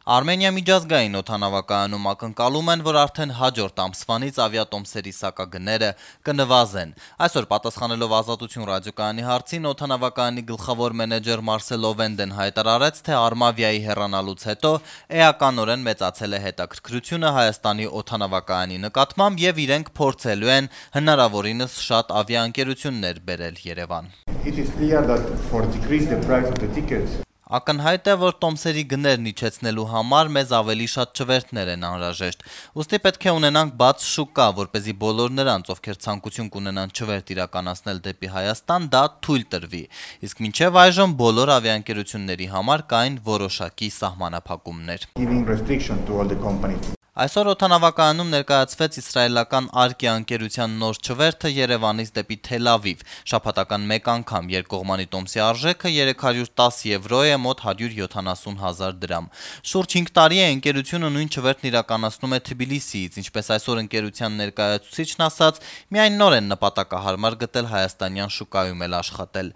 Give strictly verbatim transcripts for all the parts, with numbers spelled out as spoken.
Արմենիա միջազգային օդանավակայանում ակնկալում են, որ արդեն հաջորդ ամսվանից ավիատոմսերի սակագները կնվազեն։ Այսօր պատասխանելով Ազատություն ռադիոկայանի հարցին, օդանավակայանի գլխավոր մենեջեր Մարսելո Վենդեն հայտարարեց, թե Արմավիայի հեռանալուց հետո էականորեն մեծացել է հետաքրքրությունը Հայաստանի օդանավակայանի նկատմամբ եւ իրենք փորձելու են հնարավորինս շատ ավիաընկերություններ բերել Երևան։ Ակնհայտ է, որ տոմսերի գներն իջեցնելու համար մեզ ավելի շատ չվերթներ են անհրաժեշտ։ Ուստի պետք է ունենանք բաց շուկա, որպեսզի բոլոր նրանց, ովքեր ցանկություն կունենան չվերթ իրականացնել դեպի Հայաստան, դա թույլ տրվի։ Իսկ մինչև այժմ բոլոր ավիաընկերությունների համար կային որոշակի սահմանափակումներ։ Այսօր օդանավակայանում ներկայացվեց իսրայելական Արկիա ընկերության նոր չվերթը Երևանից դեպի Թել Ավիվ։ Շաբաթական մեկ անգամ երկկողմանի տոմսի արժեքը երեք հարյուր տասը եվրո է, մոտ հարյուր յոթանասուն հազար դրամ։ Շուրջ հինգ տարի է ընկերությունը նույն չվերթն իրականացնում է Թբիլիսիից, ինչպես այսօր ընկերության ներկայացուցիչն ասաց, միայն նոր են նպատակահարմար գտել հայաստանյան շուկայում էլ աշխատել։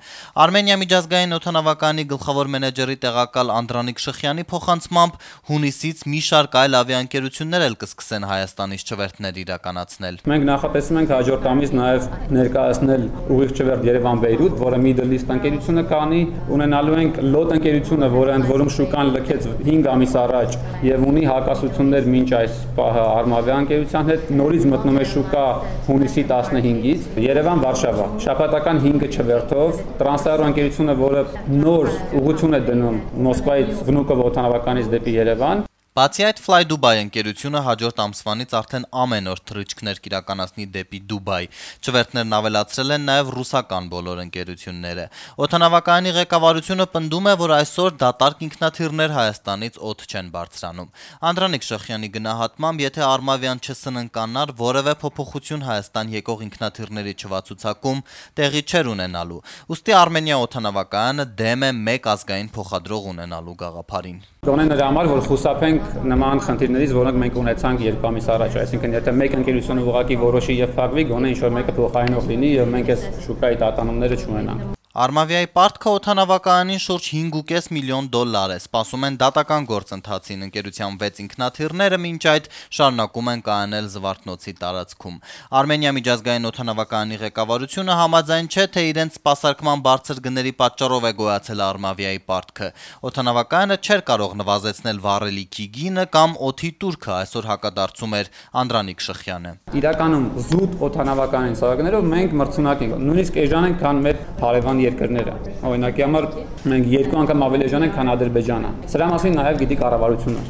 Արմենիա միջազգային օդանավակայանի գլխավոր մենեջերի տեղակալ Անդրանիկ Շխյանի փոխանցմամբ հունիսից մի շարք այլ ավիաընկերություններ էլ կսկսեն Հայաստանից չվերթներ իրականացնել։ Մենք նախատեսում ենք հաջորդ ամիս նաև ներկայացնել ուղիղ չվերթ Երևան-Բեյրութ, որը Middle East ընկերությունը կանի, ունենալու ենք Լոտ ընկերությունը, որը ընդ որում շուկան լքեց հինգ ամիս առաջ եւ ունի հակասություններ մինչ այս պահը Արմավիա ընկերության հետ, նորից մտնում է շուկա հունիսի տասնհինգից Երևան-Վարշավա։ Շաբաթական հինգ չվերթով Տրանսաերո ընկերությունը, որը նոր ուղղություն է դնում Մոսկվայից Վնուկով օդանավականից դեպի Երևան։ Բացի այդ, Fly Dubai ընկերությունը հաջորդ ամսվանից արդեն ամեն օր թռիչքներ կիրականացնի դեպի Դուբայ։ Չվերթներն ավելացրել են նաև ռուսական բոլոր ընկերությունները։ Օդանավակայանի ղեկավարությունը պնդում է, որ այսօր դատարկ ինքնաթիռներ Հայաստանից օդ չեն բարձրանում։ Անդրանիկ Շխյանի գնահատմամբ, եթե Արմավիան չսննկանար, որևէ փոփոխություն Հայաստան եկող ինքնաթիռների չվացուցակում տեղի չէր ունենալու։ Ուստի Արմենիա օդանավակայանը դեմ է մեկ ազգային փոխադրող ունենալու գաղափարին։ Գոնե նրա համար, որ խուսափենք նման խնդիրներից, որոնք մենք ունեցանք երկու ամիս առաջ, այսինքն եթե մեկ ընկերությունը ուղղակի որոշի եւ փակվի, գոնե ինչ-որ մեկը փոխարինող լինի եւ մենք այս շուկայի տատանումները չունենանք։ Արմավիայի պարտքը օդանավակայանին շուրջ հինգ ու կես միլիոն դոլար է, սպասում են դատական գործընթացին, ընկերության վեց ինքնաթիռները մինչ այդ շարունակում են կայանել Զվարթնոցի տարածքում։ Արմենիա միջազգային օդանավակայանի ղեկավարությունը համաձայն չէ, թե իրենց սպասարկման բարձր գների պատճառով է գոյացել Արմավիայի պարտքը։ Օդանավակայանը չէր կարող նվազեցնել վառելիքի գինը կամ օդի տուրքը, այսօր հակադարձում էր Անդրանիկ Շխյանը։ Իրականում զուտ օդանավակայանի սարքներով մենք մրցունակ ենք, նույնիսկ էժան ենք, քան մեր հարևան երկրները։ Օրինակի համար մենք երկու անգամ ավելի էժան ենք, քան Ադրբեջանը։ Սրա մասին նաև գիտի կառավարությունը։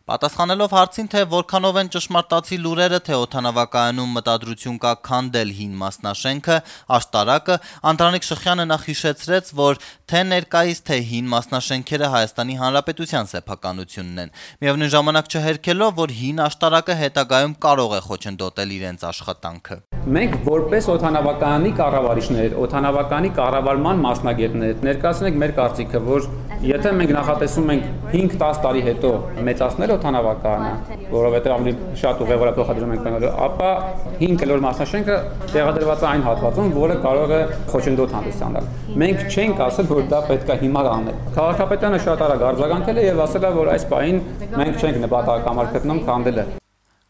Պատասխանելով հարցին, թե որքանով են ճշմարտացի լուրերը, թե օդանավակայանում մտադրություն կա քանդել հին մասնաշենքը, աշտարակը, Անդրանիկ Շխյանը նախ հիշեցրեց, որ թե ներկայիս, թե հին մասնաշենքերը Հայաստանի Հանրապետության սեփականությունն են, միևնույն ժամանակ չհերքելով, որ հին աշտարակը հետագայում կարող է խոչընդոտել իրենց աշխատանքը։ Մենք որպես օդանավակայանի կառավարիչներ, օդանավակայանի կառավարման մասնագետներ ներկայացնենք մեր կարծիքը, որ եթե մենք նախատեսում ենք հինգ տասը տարի հետո մեծացնել օդանավակայանը, որովհետև ավելի շատ ուղևոր փոխադրում ենք բանալու, ապա հինգ կլոր մասնաշենքը տեղադրված է այն հատվածում, որը կարող է խոչընդոտ հանդիսանալ։ Մենք չենք ասել, որ դա պետք է հիմա անել։ Քաղաքապետարանը շատ արագ արձագանքել է եւ ասել է, որ այս պահին մենք չենք նպատակահարմար գտնում քանդելը։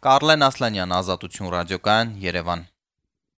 Կարլեն Ասլանյան, Ազատություն ռադիոկայան, Երևան։